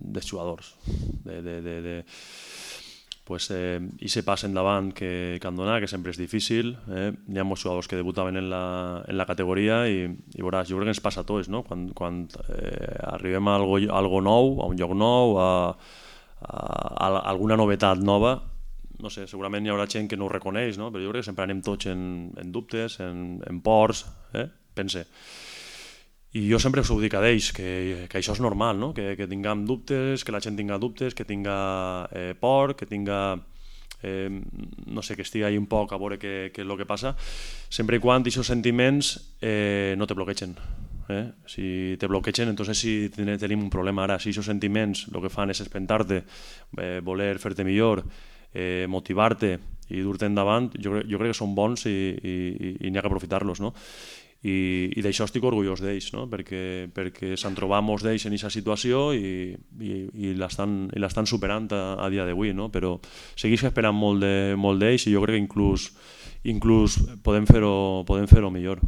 dels jugadors. I se pas endavant que han donat, que sempre és difícil. Hi ha molts jugadors que debutaven en la categoria i veuràs, jo crec que ens passa a tots, no? Quan arribem a algo nou, a un lloc nou, a alguna novetat nova, no sé, segurament hi haurà gent que no ho reconeix, no? Però jo crec que sempre anem tots en dubtes, en pors, pense. I jo sempre us ho dic a ells, que això és normal, no? Que tinguem dubtes, que la gent tinga dubtes, que tinga por, que tinga, no sé, que estigui ahí un poc a veure què és el que passa, sempre i quan aquests sentiments no te bloquegen. Si te bloquegen, entonces sí tenim un problema. Ara, si aquests sentiments el que fan és espentar-te, voler fer-te millor, motivar-te i dur-te endavant, jo crec que són bons i n'hi ha que aprofitar-los, no? I d'això estic orgullós d'ells, no? Perquè s'han trobat molts d'ells en aquesta situació i l'estan superant a dia d'avui, no? Però segueix esperant molt d'ells i jo crec que inclús podem fer-ho millor.